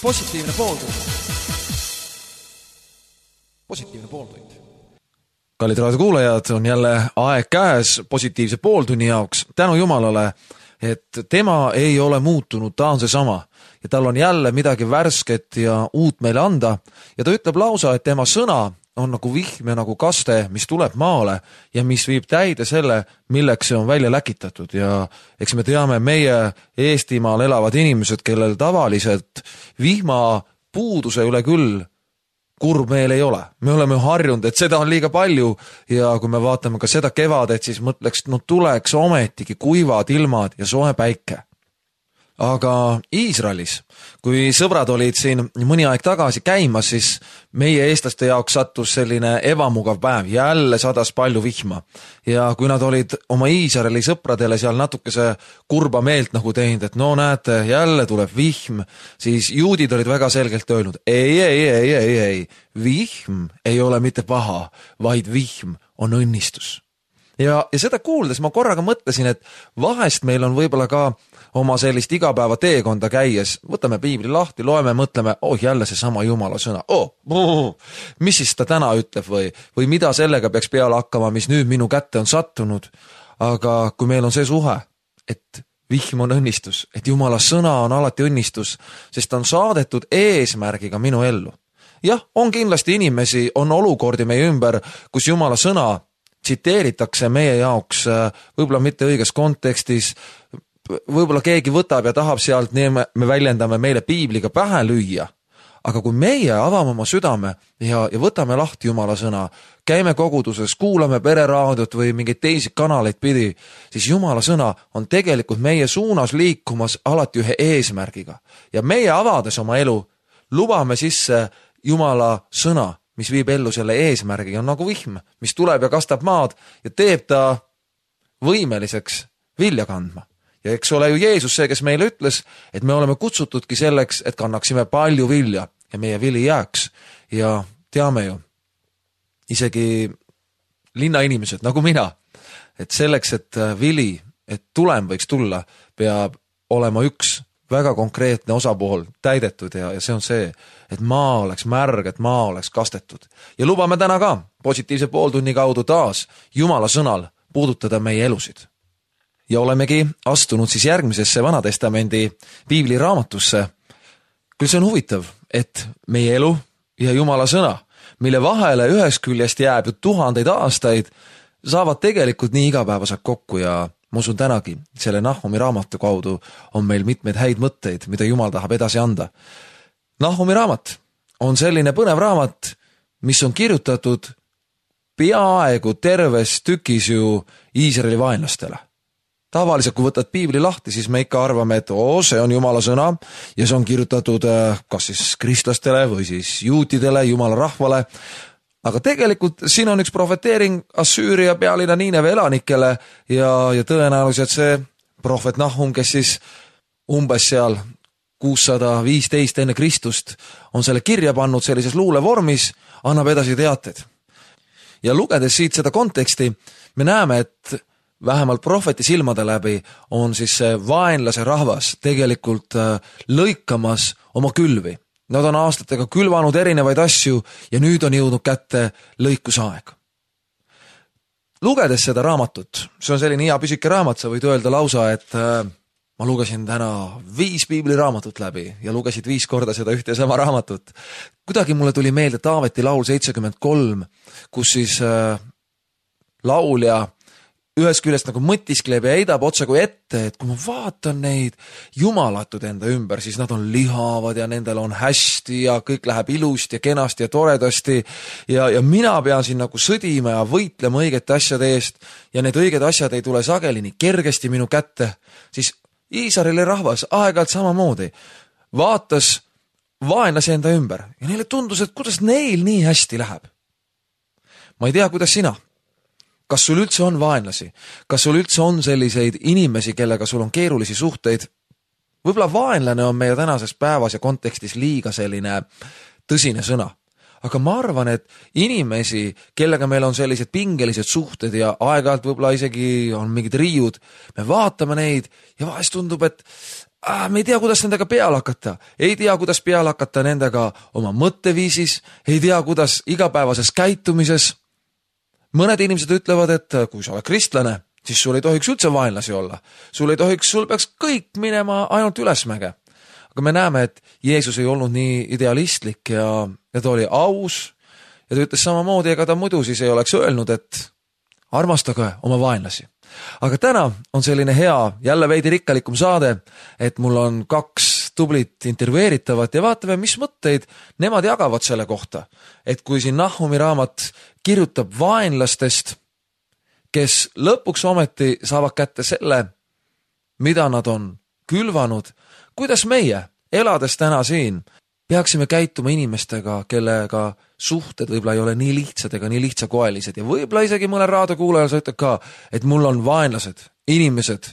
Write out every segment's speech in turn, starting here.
Positiivne pooltund. Positiivne pooltund. Kallid raadiokuulajad, on jälle aeg käes positiivse pooltunni jaoks. Tänu Jumalale, et tema ei ole muutunud, ta on seesama. Ja tal on jälle midagi värsket ja uut meile anda. Ja ta ütleb lausa, et tema sõna on nagu vihm ja nagu kaste, mis tuleb maale ja mis viib täide selle, milleks see on välja läkitatud. Ja eks me teame, meie Eestimaal elavad inimesed, kellel tavaliselt vihma puuduse üle küll kurb meel ei ole. Me oleme harjunud, et seda on liiga palju ja kui me vaatame ka seda kevadet, siis mõtleks, no tuleks ometigi kuivad ilmad ja soe päike. Aga Iisraelis, kui sõbrad olid siin mõni aeg tagasi käimas, siis meie eestlaste jaoks sattus selline ebamugav päev. Jälle sadas palju vihma. Ja kui nad olid oma Iisraeli sõpradele seal natukese kurba meelt nagu teinud, et no näete, jälle tuleb vihm, siis juudid olid väga selgelt öelnud, ei, vihm ei ole mitte paha, vaid vihm on õnnistus. Ja seda kuuldes ma korraga mõtlesin, et vahest meil on võib-olla ka oma sellist igapäeva teekonda käies, võtame piibli lahti, loeme, mõtleme, jälle see sama Jumala sõna, mis siis ta täna ütleb või mida sellega peaks peale hakkama, mis nüüd minu kätte on sattunud. Aga kui meil on see suhe, et vihm on õnnistus, et Jumala sõna on alati õnnistus, sest ta on saadetud eesmärgiga minu ellu. Jah, on kindlasti inimesi, on olukordi meie ümber, kus Jumala sõna tsiteeritakse meie jaoks võib-olla mitte õiges kontekstis, võib-olla keegi võtab ja tahab sealt, nii me väljendame meile piibliga pähe lüüa. Aga kui meie avame oma südame ja võtame lahti Jumala sõna, käime koguduses, kuulame pereraadiot või mingeid teisi kanaleid pidi, siis Jumala sõna on tegelikult meie suunas liikumas alati ühe eesmärgiga. Ja meie avades oma elu, lubame sisse Jumala sõna, mis viib ellu selle eesmärgi, on nagu vihm, mis tuleb ja kastab maad ja teeb ta võimeliseks vilja kandma. Ja eks ole ju Jeesus see, kes meile ütles, et me oleme kutsutudki selleks, et kannaksime palju vilja ja meie vili jääks. Ja teame ju, isegi linnainimesed nagu mina, et selleks, et vili, et tulem võiks tulla, peab olema üks väga konkreetne osapool täidetud ja see on see, et maa oleks märg, et maa oleks kastetud. Ja lubame täna ka positiivse pooltunni kaudu taas Jumala sõnal puudutada meie elusid. Ja olemegi astunud siis järgmisesse Vanatestamendi piibli raamatusse. Küll see on huvitav, et meie elu ja Jumala sõna, mille vahele ühest küljest jääb ju tuhandeid aastaid, saavad tegelikult nii igapäevaselt kokku ja ma usun tänagi, selle Nahumi raamatu kaudu on meil mitmeid häid mõtteid, mida Jumal tahab edasi anda. Nahumi raamat on selline põnev raamat, mis on kirjutatud peaaegu terves tükis ju Iisraeli vaenlastele. Tavaliselt, kui võtad piibli lahti, siis me ikka arvame, et see on Jumala sõna ja see on kirjutatud kas siis kristlastele või siis juutidele, Jumala rahvale. Aga tegelikult siin on üks profeteering Assüüria pealinna Niineve elanikele ja tõenäoliselt see prohvet Nahum, kes siis umbes seal 615 enne Kristust on selle kirja pannud sellises luulevormis, annab edasi teated. Ja lugedes siit seda konteksti, me näeme, et vähemalt prohveti silmade läbi on siis see vaenlase rahvas tegelikult lõikamas oma külvi. Nad on aastatega külvanud erinevaid asju ja nüüd on jõudnud kätte lõikusaeg. Lugedes seda raamatut, see on selline hea püsike raamat, sa võid öelda lausa, et ma lugesin täna 5 piibliraamatut läbi ja lugesid 5 korda seda ühte ja sama raamatut. Kuidagi mulle tuli meelde Taaveti laul 73, kus siis laulja ühest küljest nagu mõtiskleb ja heidab otsa kui ette, et kui ma vaatan neid jumalatud enda ümber, siis nad on lihavad ja nendel on hästi ja kõik läheb ilusti ja kenasti ja toredasti ja mina pean siin nagu sõdima ja võitlema õigete asjade eest ja need õiged asjad ei tule sageli nii kergesti minu kätte, siis Iisraeli rahvas aeg-ajalt samamoodi vaatas vaenlase enda ümber ja neile tundus, et kuidas neil nii hästi läheb. Ma ei tea, kuidas sina. Kas sul üldse on vaenlasi? Kas sul üldse on selliseid inimesi, kellega sul on keerulisi suhteid? Võib-olla vaenlane on meie tänases päevas ja kontekstis liiga selline tõsine sõna. aga ma arvan, et inimesi, kellega meil on sellised pingelised suhted ja aeg-ajalt võib-olla isegi on mingid riiud, me vaatame neid ja vahest tundub, et me ei tea, kuidas nendega peale hakata. Ei tea, kuidas peale hakata nendega oma mõtteviisis, ei tea, kuidas igapäevases käitumises. Mõned inimesed ütlevad, et kui sa oled kristlane, siis sul ei tohiks üldse vaenlasi olla. Sul peaks kõik minema ainult ülesmäge. Aga me näeme, et Jeesus ei olnud nii idealistlik ja ta oli aus ja ta ütles samamoodi, ega ta muidu siis ei oleks öelnud, et armastage oma vaenlasi. Aga täna on selline hea, jälle veidi rikkalikum saade, et mul on 2 tublit intervjueeritavat ja vaatame, mis mõtteid nemad jagavad selle kohta. Et kui siin Nahumi raamat kirjutab vaenlastest, kes lõpuks ometi saavad kätte selle, mida nad on külvanud, kuidas meie, elades täna siin, peaksime käituma inimestega, kellega suhted võib-olla ei ole nii lihtsad ega nii lihtsakoelised ja võib-olla isegi mõne raadiokuulajal sa ütled ka, et mul on vaenlased, inimesed,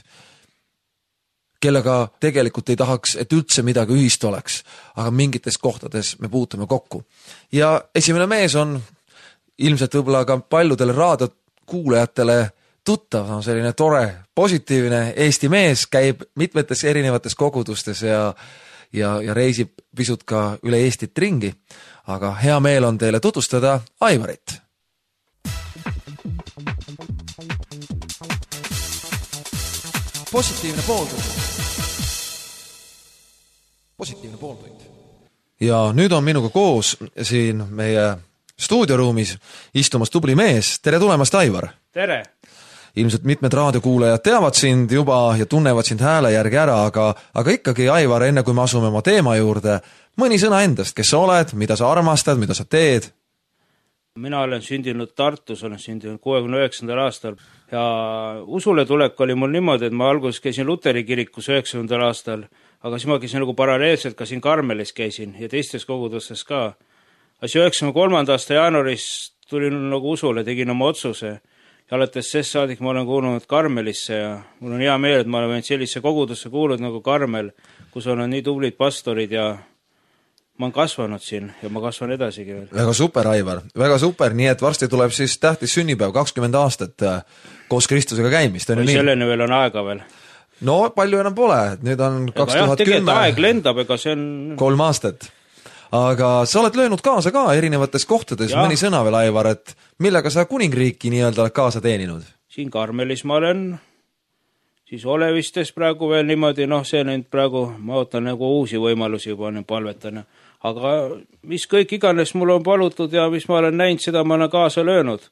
kellega tegelikult ei tahaks, et üldse midagi ühist oleks, aga mingites kohtades me puutume kokku. Ja esimene mees on ilmselt võib-olla ka paljudele raadiokuulajatele tuttav, on selline tore, positiivne Eesti mees, käib mitmetes erinevates kogudustes ja reisib pisut ka üle Eestit ringi, aga hea meel on teile tutvustada Aivarit. Positiivne pooltund. Ja nüüd on minuga koos siin meie stuudioruumis istumas tubli mees. Tere tulemast, Aivar! Tere! Ilmselt mitmed raadiokuulajad teavad sind juba ja tunnevad sind hääle järgi ära, aga ikkagi, Aivar, enne kui me asume oma teema juurde, mõni sõna endast, kes sa oled, mida sa armastad, mida sa teed? Mina olen sündinud Tartus, olen sündinud 69. aastal ja usule tulek oli mul niimoodi, et ma alguses käisin Luteri kirikus 90. aastal, aga siis ma käisin nagu paralleelselt ka siin Karmelis käisin ja teistes kogudustes ka. Asi 93. aasta jaanuaris tulin nagu usule, tegin oma otsuse. Ja alates sest saadik ma olen kuulunud Karmelisse ja mul on hea meel, et ma olen sellise kogudusse kuulunud nagu Karmel, kus on nii tublid pastorid ja ma olen kasvanud siin ja ma kasvan edasigi veel. Väga super, Aivar, väga super, nii et varsti tuleb siis tähtis sünnipäev, 20 aastat koos Kristusega käimist. Või selleni veel on aega veel? No palju enam pole, nüüd on 2010. Tegelikult aeg lendab, ega see on 3 aastat. Aga sa oled löönud kaasa ka erinevates kohtades, mõni sõna veel, Aivar, et millega sa kuningriiki nii-öelda oled kaasa teeninud? Siin Karmelis ma olen, siis Olevistes praegu veel niimoodi, see nüüd praegu, ma ootan nagu uusi võimalusi juba palvetana. Aga mis kõik iganes mul on palutud ja mis ma olen näinud, seda ma olen kaasa löönud.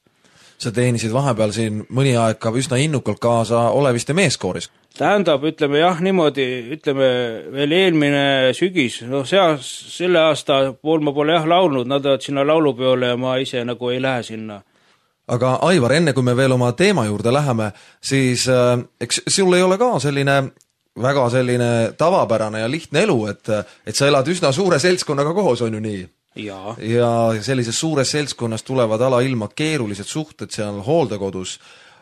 Sa teenisid vahepeal siin mõni aeg ka üsna innukalt kaasa Oleviste meeskooris. Tähendab, ütleme veel eelmine sügis, selle aasta pool ma pole laulnud, nad olid sinna laulupeole ja ma ise nagu ei lähe sinna. Aga Aivar, enne kui me veel oma teema juurde läheme, siis eks sul ei ole ka väga selline tavapärane ja lihtne elu, et sa elad üsna suure seltskonnaga koos, on ju nii? Ja sellises suures seltskonnas tulevad alailma keerulised suhted seal hooldekodus.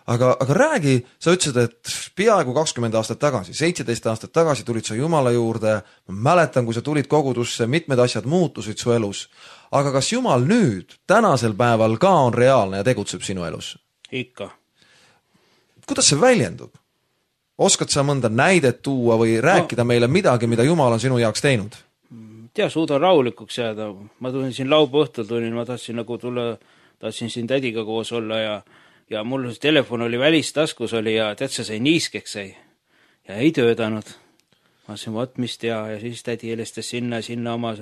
Aga räägi, sa ütlesid, et peaaegu 20 aastat tagasi, 17 aastat tagasi tulid sa Jumala juurde, ma mäletan, kui sa tulid kogudusse, mitmed asjad muutusid su elus. Aga kas Jumal nüüd, tänasel päeval ka on reaalne ja tegutseb sinu elus? Ikka. Kuidas see väljendub? Oskad sa mõnda näidet tuua või rääkida meile midagi, mida Jumal on sinu jaoks teinud? Suudan rahulikuks jääda. Ma tulin siin laupäeva õhtul, ma tahtsin nagu tulla, tahtsin siin tädiga koos olla ja mul telefon oli välistaskus oli ja tead, sa sai niiskeks sai ja ei töödanud. Ma ütlesin, mis tea ja siis tädi helistas sinna oma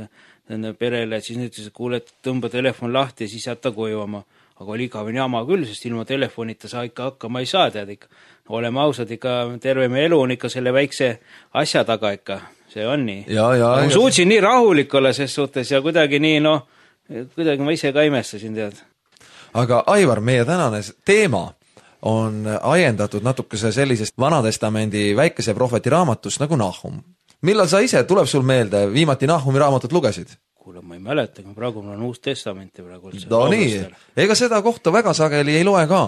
perele, et siis nüüd ütles, et kuule, et tõmba telefon lahti ja siis jätta koju oma. Aga oli igavene jama küll, sest ilma telefonita sa ikka hakkama ei saa, tead ikka. Oleme ausad, ikka terve meie elu on ikka selle väikse asja taga ikka. See on nii. Ma suutsin nii rahulik olla ses suhtes ja kuidagi nii, kuidagi ma ise ka imestasin, tead. Aga Aivar, meie tänane teema on ajendatud natukese sellisest Vanatestamendi väikese prohveti raamatust nagu Nahum. Millal sa ise, tuleb sul meelde, viimati Nahumi raamatut lugesid? Kuule, ma ei mäleta, praegu mul on uus testamenti praegu üldse. Nii, ega seda kohta väga sageli ei loe ka.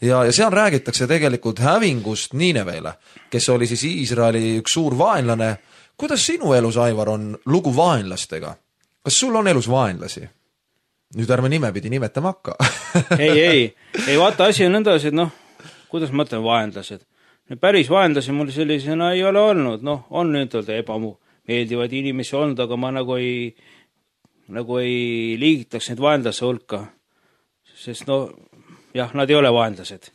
Ja seal räägitakse tegelikult hävingust Niinevele, kes oli siis Iisraeli üks suur vaenlane. Kuidas sinu elus, Aivar, on lugu vaenlastega? Kas sul on elus vaenlasi? nüüd ärme nimepidi nimetama hakka. ei, vaata, asi on nõndas, et kuidas ma mõtlen vaenlased. Päris vaenlasi mul sellisena ei ole olnud, on nüüd ebameeldivaid inimesi olnud, aga ma nagu ei liigitaks neid vaenlase hulka, sest jah, nad ei ole vaenlased.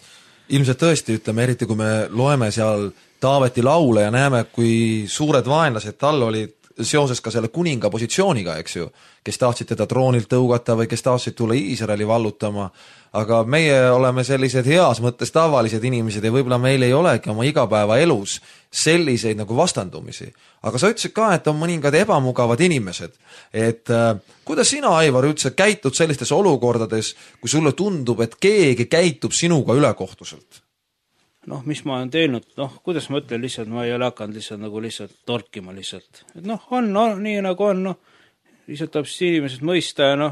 Ilmselt tõesti, ütleme, eriti kui me loeme seal Taaveti laule ja näeme, kui suured vaenlased tal olid seoses ka selle kuninga positsiooniga, eks ju, kes tahtsid teda troonilt tõugata või kes tahtsid tulla Iisraeli vallutama, aga meie oleme sellised heas mõttes tavalised inimesed ja võib-olla meil ei olegi oma igapäeva elus selliseid nagu vastandumisi. Aga sa ütlesid ka, et on mõningad ebamugavad inimesed. Et kuidas sina, Aivar, üldse käitud sellistes olukordades, kui sulle tundub, et keegi käitub sinuga ülekohtuselt? Mis ma olen teinud, kuidas ma ütlen lihtsalt, ma ei ole hakanud lihtsalt torkima lihtsalt. Et on nii nagu on, lihtsalt tahab inimesed mõista ja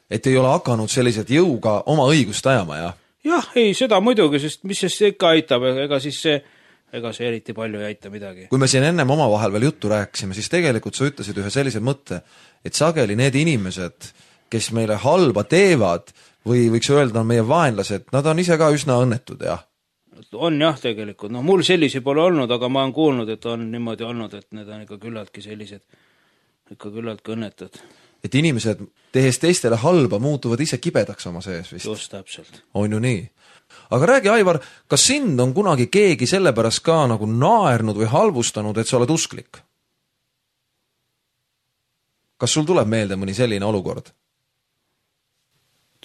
Et ei ole hakanud sellised jõuga oma õigust ajama, jah? Jah, ei, seda muidugi, sest mis see ikka aitab, ega see eriti palju ei aita midagi. Kui me siin ennem omavahel veel juttu rääkisime, siis tegelikult sa ütlesid ühe sellise mõtte, et sageli need inimesed, kes meile halba teevad või võiks öelda on meie vaenlased, nad on ise ka üsna õnnetud, jah? On jah tegelikult, mul sellisi pole olnud, aga ma olen kuulnud, et on niimoodi olnud, et need on ikka küllaltki sellised, ikka küllaltki õnnetud. Et inimesed, tehes teistele halba, muutuvad ise kibedaks oma sees vist. Just täpselt. On ju nii. Aga räägi, Aivar, kas sind on kunagi keegi sellepärast ka nagu naernud või halvustanud, et sa oled usklik? Kas sul tuleb meelde mõni selline olukord?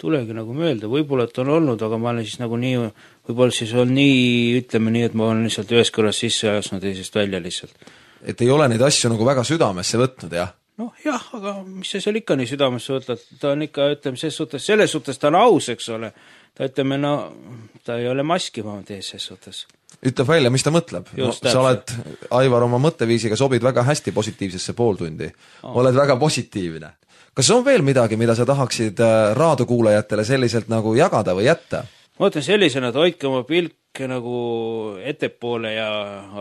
Tulegi nagu meelde, võib-olla et on olnud, aga ma olen siis nagu nii, võib-olla siis on nii, ütleme nii, et ma olen lihtsalt ühes kõrras sisse ajasnud teisest välja lihtsalt. Et ei ole neid asju nagu väga südamesse võtnud, jah? Jah, aga mis see seal ikka nii südamesse võtad, ta on ikka, ütleme, selles suhtes ta on aus, eks ole. Ta ütleme, ta ei ole maskima tees ses suhtes. Ütleb välja, mis ta mõtleb. Sa oled, Aivar, oma mõtteviisiga sobid väga hästi positiivsesse pooltundi. Oled väga positiivne. Kas on veel midagi, mida sa tahaksid raadiokuulajatele selliselt nagu jagada või jätta? Ma ütlen sellisena, et hoidke oma pilk nagu ettepoole ja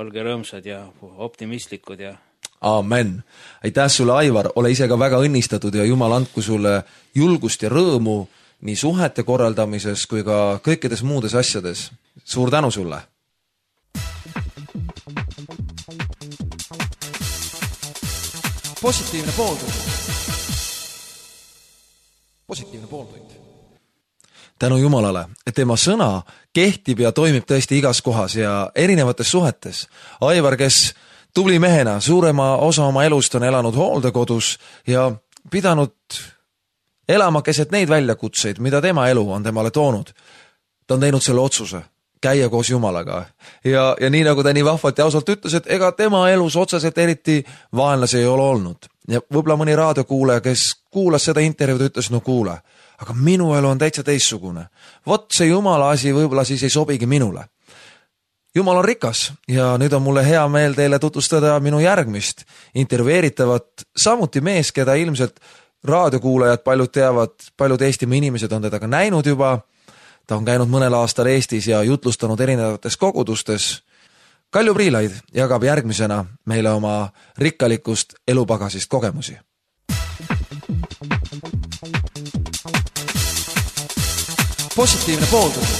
olge rõõmsad ja optimistlikud ja... Amen. Aitäh sulle, Aivar, ole ise ka väga õnnistatud ja Jumal andku sulle julgust ja rõõmu nii suhete korraldamises kui ka kõikides muudes asjades. Suur tänu sulle! Positiivne pooltund. Positiivne pooltund. Tänu Jumalale, et tema sõna kehtib ja toimib tõesti igas kohas ja erinevates suhetes. Aivar, kes tubli mehena suurema osa oma elust on elanud hooldekodus ja pidanud elama keset neid väljakutseid, mida tema elu on temale toonud. Ta on teinud selle otsuse, käia koos Jumalaga. Ja nii nagu ta nii vahvalt ja ausalt ütles, et ega tema elus otseselt eriti vaenlasi ei ole olnud. Ja võib-olla mõni raadiokuulaja, kes kuulas seda intervjuud, ütles, kuule, aga minu elu on täitsa teissugune. Vot see Jumala asi võib-olla siis ei sobigi minule. Jumal on rikas ja nüüd on mulle hea meel teile tutvustada minu järgmist intervjueeritavat, samuti mees, keda ilmselt raadiokuulajad paljud teavad, paljud Eestimaa inimesed on teda ka näinud juba. Ta on käinud mõnel aastal Eestis ja jutlustanud erinevates kogudustes. Kalju Priilaid jagab järgmisena meile oma rikkalikust elupagasist kogemusi. Positiivne pooltund.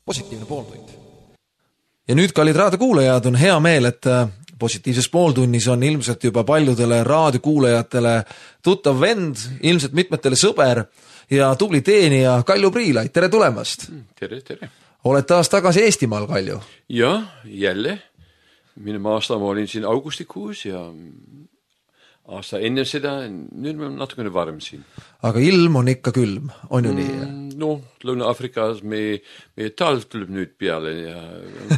Positiivne pooltund. Ja nüüd, kallid raadiokuulajad, on hea meel, et positiivses pooltunnis on ilmselt juba paljudele raadiokuulajatele tuttav vend, ilmselt mitmetele sõber ja tubli teenija Kalju Priilaid. Tere tulemast! Tere, tere! Oled taas tagasi Eestimaal, Kalju? Jah, jälle. Minu aasta ma olin siin augustikuus ja aasta enne seda, nüüd me natukene varem siin. Aga ilm on ikka külm, on ju nii? Lõuna-Afrikas meie talv tuleb nüüd peale ja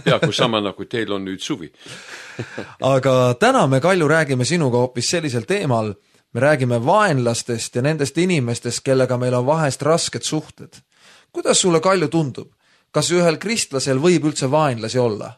peaaegu sama nagu teil on nüüd suvi. Aga täna me, Kalju, räägime sinuga hoopis sellisel teemal. Me räägime vaenlastest ja nendest inimestest, kellega meil on vahest rasked suhted. Kuidas sulle, Kalju, tundub? Kas ühel kristlasel võib üldse vaenlasi olla?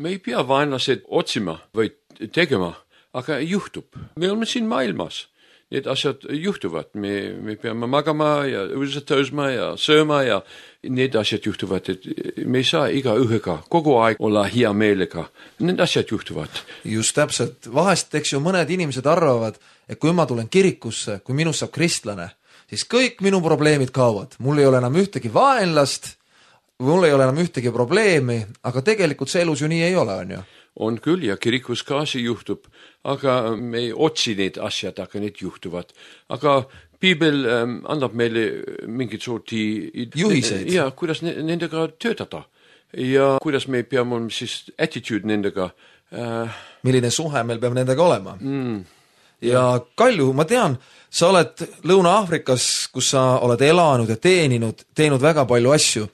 Me ei pea vaenlased otsima või tegema, aga juhtub. Me oleme siin maailmas. need asjad juhtuvad. Me peame magama ja õudselt tõusma ja sööma ja need asjad juhtuvad, et me ei saa iga ühega kogu aeg olla hea meelega. Need asjad juhtuvad. Just täpselt. Vahest, eks ju, mõned inimesed arvavad, et kui ma tulen kirikusse, kui minust saab kristlane, siis kõik minu probleemid kaovad. Mul ei ole enam ühtegi vaenlast, mul ei ole enam ühtegi probleemi, aga tegelikult see elus ju nii ei ole, on ju? On küll ja kirikus ka see juhtub, aga me ei otsi need asjad, aga need juhtuvad. Aga Piibel annab meile mingit sorti juhiseid. Ja kuidas nendega töötada ja kuidas me peame siis attitude nendega. Milline suhe meil peab nendega olema. Ja Kalju, ma tean, sa oled Lõuna-Aafrikas, kus sa oled elanud ja teinud väga palju asju.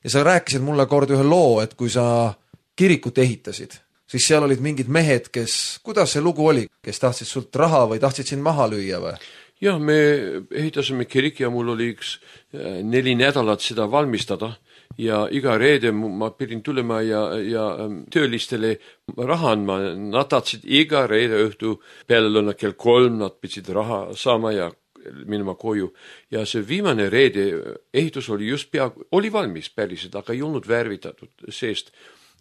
Ja sa rääkisid mulle kord ühe loo, et kui sa kirikut ehitasid, siis seal olid mingid mehed, kuidas see lugu oli, kes tahtsid sult raha või tahtsid sind maha lüüa või? Ja, me ehitasime kirik ja mul oli 4 nädalat seda valmistada ja iga reede ma pidin tulema ja töölistele raha andma. Nad tahtsid iga reede õhtu peale lõuna kell 3, nad pidsid raha saama ja minema koju. Ja see viimane reede ehitus oli just oli valmis päriselt, aga ei olnud värvitatud seest.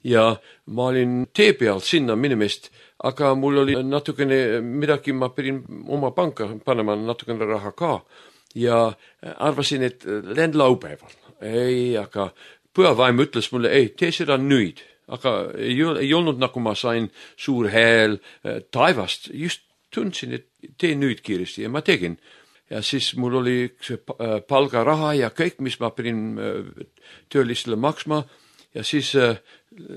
Ja ma olin tee peal sinna minemist, aga mul oli natukene midagi, ma pidin oma panka panema natukene raha ka. Ja arvasin, et lähen laupäeval. Ei, aga pühavaim ütles mulle, ei, tee seda nüüd. Aga ei olnud nagu ma sain suur hääl taevast. Just tundsin, et tee nüüd kiiresti ja ma tegin. Ja siis mul oli palgaraha ja kõik, mis ma pidin töölistele maksma. Ja siis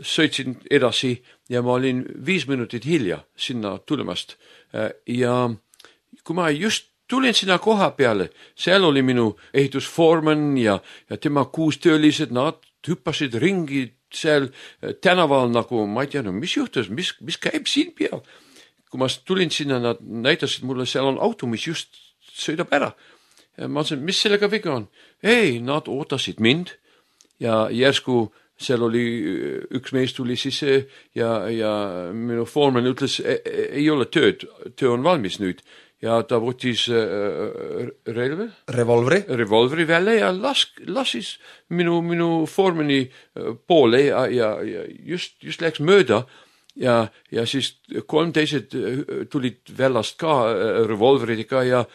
sõitsin edasi ja ma olin 5 minutit hilja sinna tulemast. Ja kui ma just tulin sinna koha peale, seal oli minu ehitusforeman ja tema 6 töölised, nad hüppasid ringi seal tänaval nagu, ma ei tea, mis juhtus, mis käib siin peal. Kui ma tulin sinna, nad näitasid mulle, seal on auto, mis just sõidab ära. Ja ma ütlesin, mis sellega viga on? Ei, nad ootasid mind ja järsku seal oli üks mees tuli sisse ja minu foreman ütles, ei ole tööd, töö on valmis nüüd. Ja ta võttis revolvri välja ja lasis minu formani poole ja just läks mööda ja siis 3 teised tulid väljast ka revolveridega ja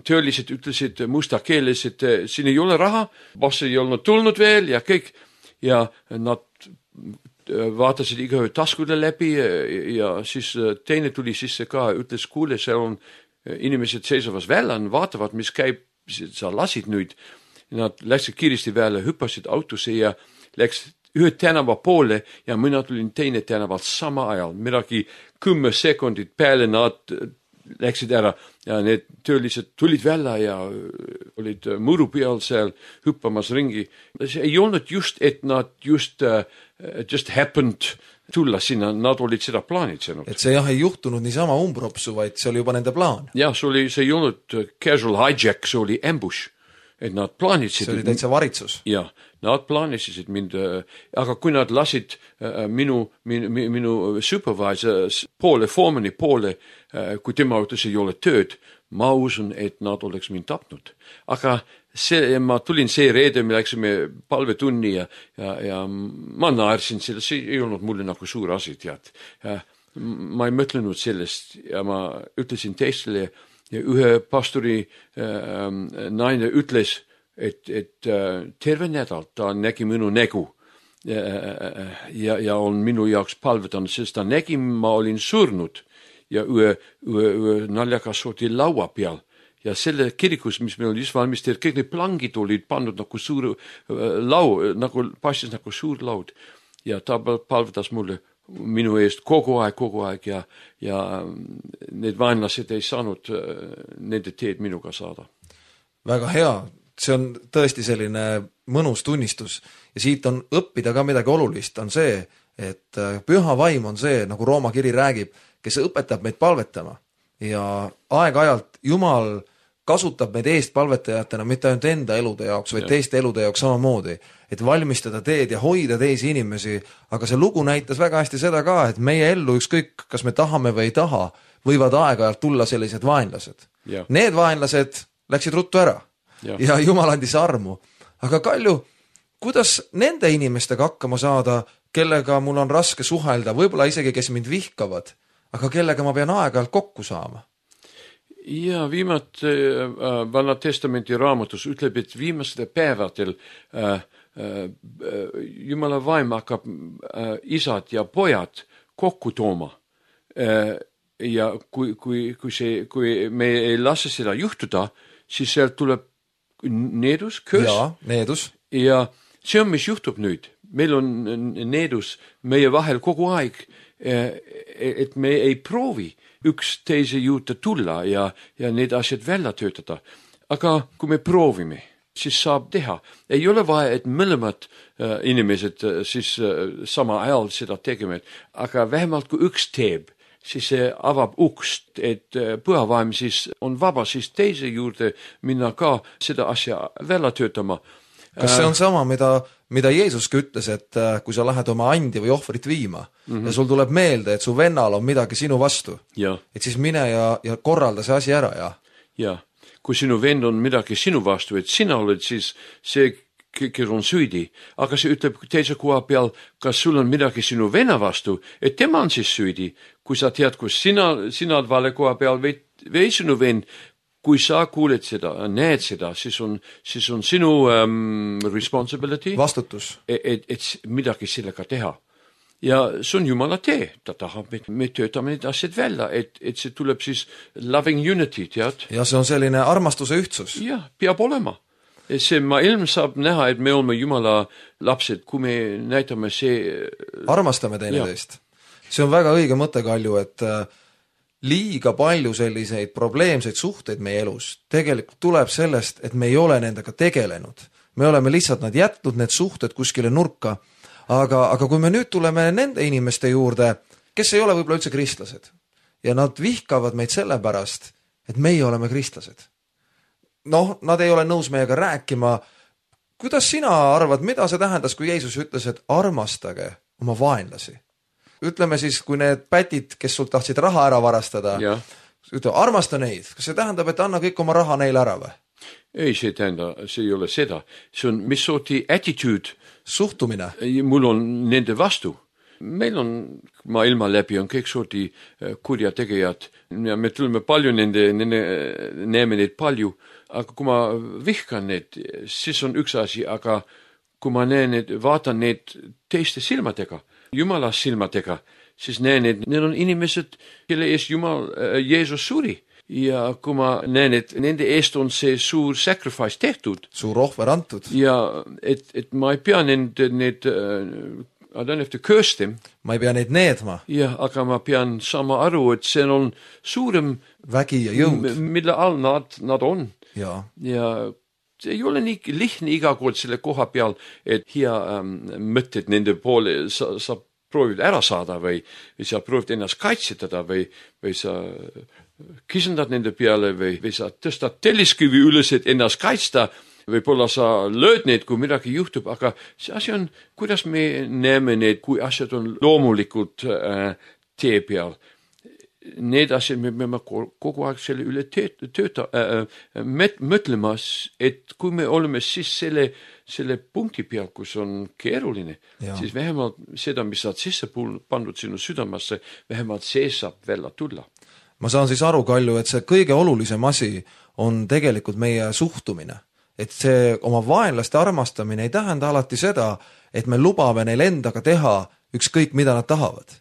töölised ütlesid musta keeles, et siin ei ole raha, boss ei olnud tulnud veel ja kõik. Ja nad vaatasid igaühe taskude läbi ja siis teine tuli sisse ka, ütles, kuule, seal on inimesed seisavas välja, vaatavad, mis käib, sa lasid nüüd. Nad läksid kiiresti välja, hüppasid autosse ja läks ühe tänava poole ja mina tulin teine tänavalt sama ajal. Midagi 10 sekundit peale nad läksid ära ja need töölised tulid välja ja olid muru peal seal hüppamas ringi. See ei olnud just, et nad just happened tulla sinna, nad olid seda plaanitsenud. Et see jah ei juhtunud niisama umbropsu, vaid see oli juba nende plaan. Ja, see ei olnud casual hijack, see oli ambush. Et nad plaanitsid. See oli täitsa varitsus. Ja, nad plaanitsid mind, aga kui nad lasid minu supervisor poole, formani poole, kui tema ütles ei ole tööd, ma usun, et nad oleks mind tapnud. Aga ma tulin see reede, me läksime palvetunni ja ma naersin selle, see ei olnud mulle nagu suur asi, tead. Ma ei mõtlenud sellest ja ma ütlesin teistele ja ühe pastori naine ütles, et terve nädal ta nägi minu nägu ja on minu jaoks palvetanud, sest ta nägi, ma olin surnud ja ühe naljakas sorti laua peal. Ja selle kirikus, mis meil oli just valmistatud, kõik need plangid olid pandud nagu suur nagu paistis nagu suur laud. Ja ta palvetas mulle minu eest kogu aeg ja need vaenlased ei saanud nende teed minuga saada. Väga hea, see on tõesti selline mõnus tunnistus ja siit on õppida ka midagi olulist, on see, et püha vaim on see, nagu Rooma kiri räägib, kes õpetab meid palvetama ja aeg-ajalt Jumal kasutab meid eestpalvetajatena mitte ainult enda elude jaoks, vaid teiste elude jaoks samamoodi, et valmistada teed ja hoida teisi inimesi, aga see lugu näitas väga hästi seda ka, et meie ellu ükskõik, kas me tahame või ei taha, võivad aeg-ajalt tulla sellised vaenlased. Need vaenlased läksid ruttu ära ja Jumal andis armu. Aga Kalju, kuidas nende inimestega hakkama saada, kellega mul on raske suhelda, võib-olla isegi, kes mind vihkavad, aga kellega ma pean aeg-ajalt kokku saama? Ja viimati Vanna Testamenti raamatus ütleb, et viimastel päevadel Jumala vaim hakkab isad ja pojad kokku tooma. Ja kui me ei lase seda juhtuda, siis sealt tuleb needus, köös. Ja, needus. Ja see on, mis juhtub nüüd. Meil on needus meie vahel kogu aeg, et me ei proovi üks teise juurde tulla ja need asjad välja töötada. Aga kui me proovime, siis saab teha. Ei ole vaja, et mõlemad inimesed siis sama ajal seda tegema, aga vähemalt kui üks teeb, siis see avab ukst, et pühavaim siis on vaba siis teise juurde minna ka seda asja välja töötama. Kas see on sama, mida Jeesuski ütles, et kui sa lähed oma andi või ohvrit viima ja sul tuleb meelde, et su vennal on midagi sinu vastu, et siis mine ja korralda see asi ära. Ja, kui sinu vend on midagi sinu vastu, et sina oled siis see, kes on süüdi, aga see ütleb teise koha peal, kas sul on midagi sinu venna vastu, et tema on siis süüdi. Kui sa tead, kus sina oled vale koha peal või sinu vend, kui sa kuuled seda, näed seda, siis on sinu responsibility. Vastutus. Et midagi sellega teha. Ja see on Jumala tee. Ta tahab, et me töötame need asjad välja, et see tuleb siis loving unity, tead? Ja see on selline armastuse ühtsus. Ja, peab olema. See maailm saab näha, et me oleme Jumala lapsed, kui me näitame see... Armastame teineteist. See on väga õige mõte, Kalju, et liiga palju selliseid probleemseid suhteid meie elus tegelikult tuleb sellest, et me ei ole nendega tegelenud. Me oleme lihtsalt nad jätnud need suhted kuskile nurka, aga kui me nüüd tuleme nende inimeste juurde, kes ei ole võib-olla üldse kristlased ja nad vihkavad meid sellepärast, et meie oleme kristlased. Nad ei ole nõus meiega rääkima. Kuidas sina arvad, mida see tähendas, kui Jeesus ütles, et armastage oma vaenlasi? Ütleme siis, kui need pätid, kes sult tahtsid raha ära varastada, ütleme, armasta neid. Kas see tähendab, et anna kõik oma raha neile ära või? Ei, see ei ole seda. See on mis sorti attitude. Suhtumine. Mul on nende vastu. Meil on maailma läbi on kõik sorti kurjategijad ja me tuleme palju näeme neid palju, aga kui ma vihkan need, siis on üks asi, aga kui ma näen need, vaatan need teiste silmadega, Jumala silmadega, siis näen, et need on inimesed, kelle eest Jumal, Jeesus suri. Ja kui ma näen, et nende eest on see suur sacrifice tehtud. Suur ohver antud. Ja et ma ei pea need I don't have to curse them. Ma ei pea neid needma. Ja, aga ma pean sama aru, et see on suurem vägi ja jõud. Mille all nad on. Ja see ei ole nii lihtne iga kord selle koha peal, et hea mõtted nende poole sa proovid ära saada või sa proovid ennast kaitsetada või sa kisendad nende peale või sa tõstad telliskivi üles, et ennast kaitsta. Võib-olla sa lööd neid, kui midagi juhtub, aga see asi on, kuidas me näeme need, kui asjad on loomulikult tee peal. Need asjad me peame kogu aeg selle üle mõtlema, et kui me oleme siis selle punkti peal, kus on keeruline, siis vähemalt seda, mis saad sisse pandud sinu südamasse, vähemalt see saab välja tulla. Ma saan siis aru, Kalju, et see kõige olulisem asi on tegelikult meie suhtumine. Et see oma vaenlaste armastamine ei tähenda alati seda, et me lubame neil endaga teha ükskõik, mida nad tahavad.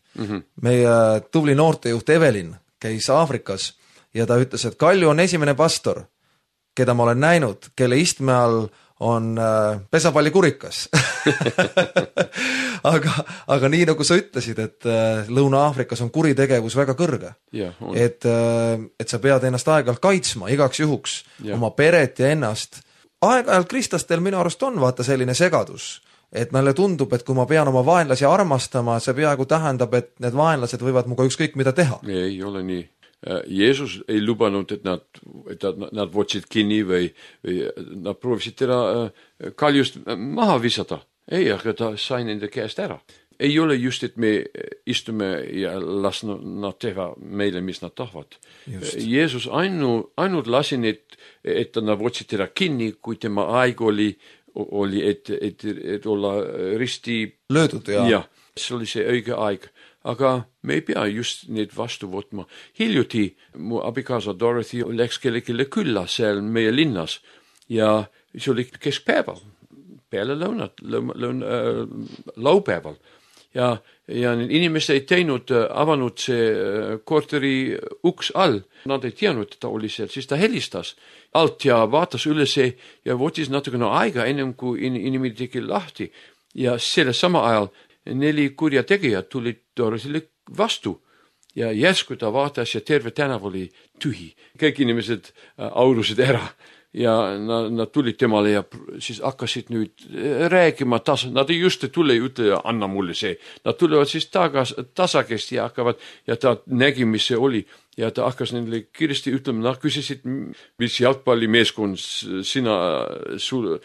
Meie tubli noortejuht Evelin käis Aafrikas ja ta ütles, et Kalju on esimene pastor, keda ma olen näinud, kelle istme all on pesapallikurikas. aga nii nagu sa ütlesid, et Lõuna-Aafrikas on kuritegevus väga kõrge. Et sa pead ennast aeg-ajalt kaitsma igaks juhuks oma peret ja ennast. Aeg-ajalt kristlastel minu arust on vaata selline segadus, et neile tundub, et kui ma pean oma vaenlasi armastama, see peaaegu tähendab, et need vaenlased võivad muga ükskõik mida teha. Ei ole nii. Jeesus ei lubanud, et nad võtsid kinni või nad proovisid teda kaljust maha visata. Ei, aga ta sai nende käest ära. Ei ole just, et me istume ja las nad teha meile, mis nad tahavad. Jeesus ainult lasi need, et nad võtsid teda kinni, kui tema aeg oli, et olla risti löödud ja see oli see õige aeg. Aga me ei pea just neid vastu võtma. Hiljuti mu abikaasa Dorothy läks kellelegi külla seal meie linnas ja see oli keskpäeval, peale laupäeval. Ja need inimesed ei teinud, avanud see korteri uks all. Nad ei teadnud, et ta oli seal. Siis ta helistas alt ja vaatas üles ja võttis natukene aega ennem kui inimene tegi lahti. Ja selle sama ajal 4 kurjategijad tulid Dorothy'le vastu. Ja järsku ta vaatas ja terve tänav oli tühi. Kõik inimesed aurusid ära. Ja nad tulid temale ja siis hakkasid nüüd rääkima nad ei just tule ja ütle, anna mulle see. Nad tulevad siis tasakest ja hakkavad ja ta nägi, mis see oli. Ja ta hakkas nendele kiiresti ütlema, nad küsisid, mis jalgpallimeeskond sulle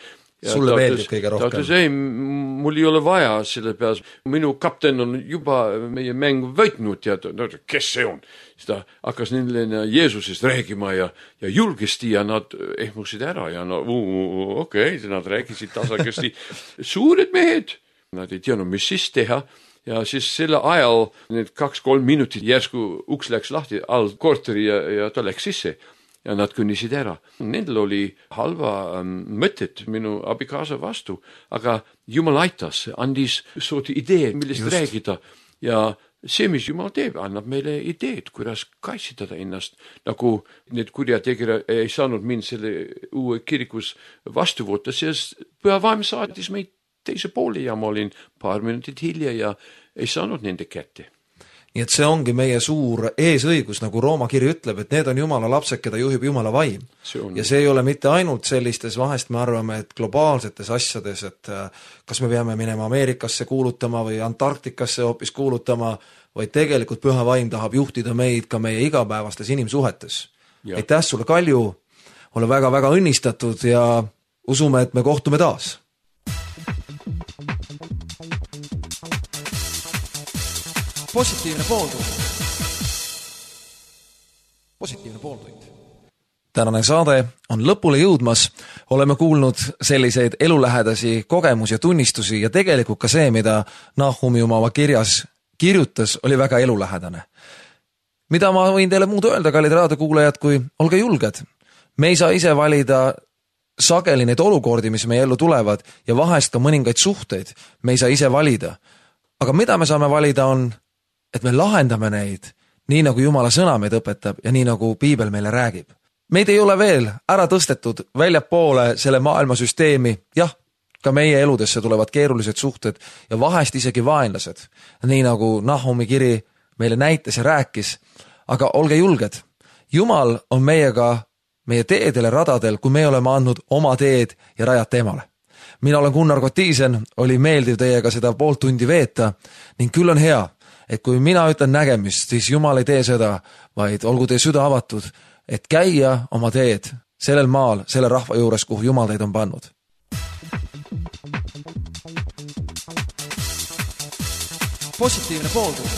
meeldib kõige rohkem. Ta ütles, ei, mul ei ole vaja selle peale. Minu kapten on juba meie mäng võitnud ja kes see on? Siis ta hakkas nendele Jeesusest räägima ja julgesti ja nad ehmusid ära ja okei, nad rääkisid tasakesti. Suured mehed, nad ei teadnud, mis siis teha ja siis selle ajal need 2-3 minutit järsku uks läks lahti all korteri ja ta läks sisse. Ja nad kõnnisid ära. Nendel oli halva mõtet minu abikaasa vastu, aga Jumal aitas, andis sooti idee, millest räägida. Ja see, mis Jumal teeb, annab meile ideed, kuidas kaitsetada ennast. Nagu need kurjategijad ei saanud mind selle uue kirikus vastu võtta, sest Püha Vaim saatis meid teise poole ja ma olin paar minutit hilja ja ei saanud nende kätte. Nii et see ongi meie suur eesõigus, nagu Rooma kiri ütleb, et need on Jumala lapsed, keda juhib Jumala vaim. Ja see ei ole mitte ainult sellistes, vahest me arvame, et globaalsetes asjades, et kas me peame minema Ameerikasse kuulutama või Antarktikasse hoopis kuulutama, vaid tegelikult Püha Vaim tahab juhtida meid ka meie igapäevastes inimsuhetes. Aitäh sulle, Kalju, ole väga-väga õnnistatud ja usume, et me kohtume taas. Positiivne pooltund. Tänane saade on lõpule jõudmas. Oleme kuulnud selliseid elulähedasi kogemusi ja tunnistusi ja tegelikult ka see, mida Nahumi oma kirjas kirjutas, oli väga elulähedane. Mida ma võin teile muud öelda, kallid raadiokuulajad, kui olge julged. Me ei saa ise valida sageli neid olukordi, mis meie ellu tulevad ja vahest ka mõningaid suhteid. Me ei saa ise valida. Aga mida me saame valida on, et me lahendame neid nii, nagu Jumala sõna meid õpetab ja nii, nagu Piibel meile räägib. Meid ei ole veel ära tõstetud väljapoole selle maailmasüsteemi. Jah, ka meie eludesse tulevad keerulised suhted ja vahest isegi vaenlased. Nii nagu Nahumi kiri meile näitas ja rääkis. Aga olge julged. Jumal on meiega meie teedele radadel, kui me oleme andnud oma teed ja rajad teemale. Mina olen Gunnar Kotiisen, oli meeldiv teiega seda pool tundi veeta ning küll on hea, et kui mina ütlen nägemist, siis Jumal ei tee seda, vaid olgu teie süda avatud, et käia oma teed sellel maal, selle rahva juures, kuhu Jumal teid on pannud. Positiivne pooltund.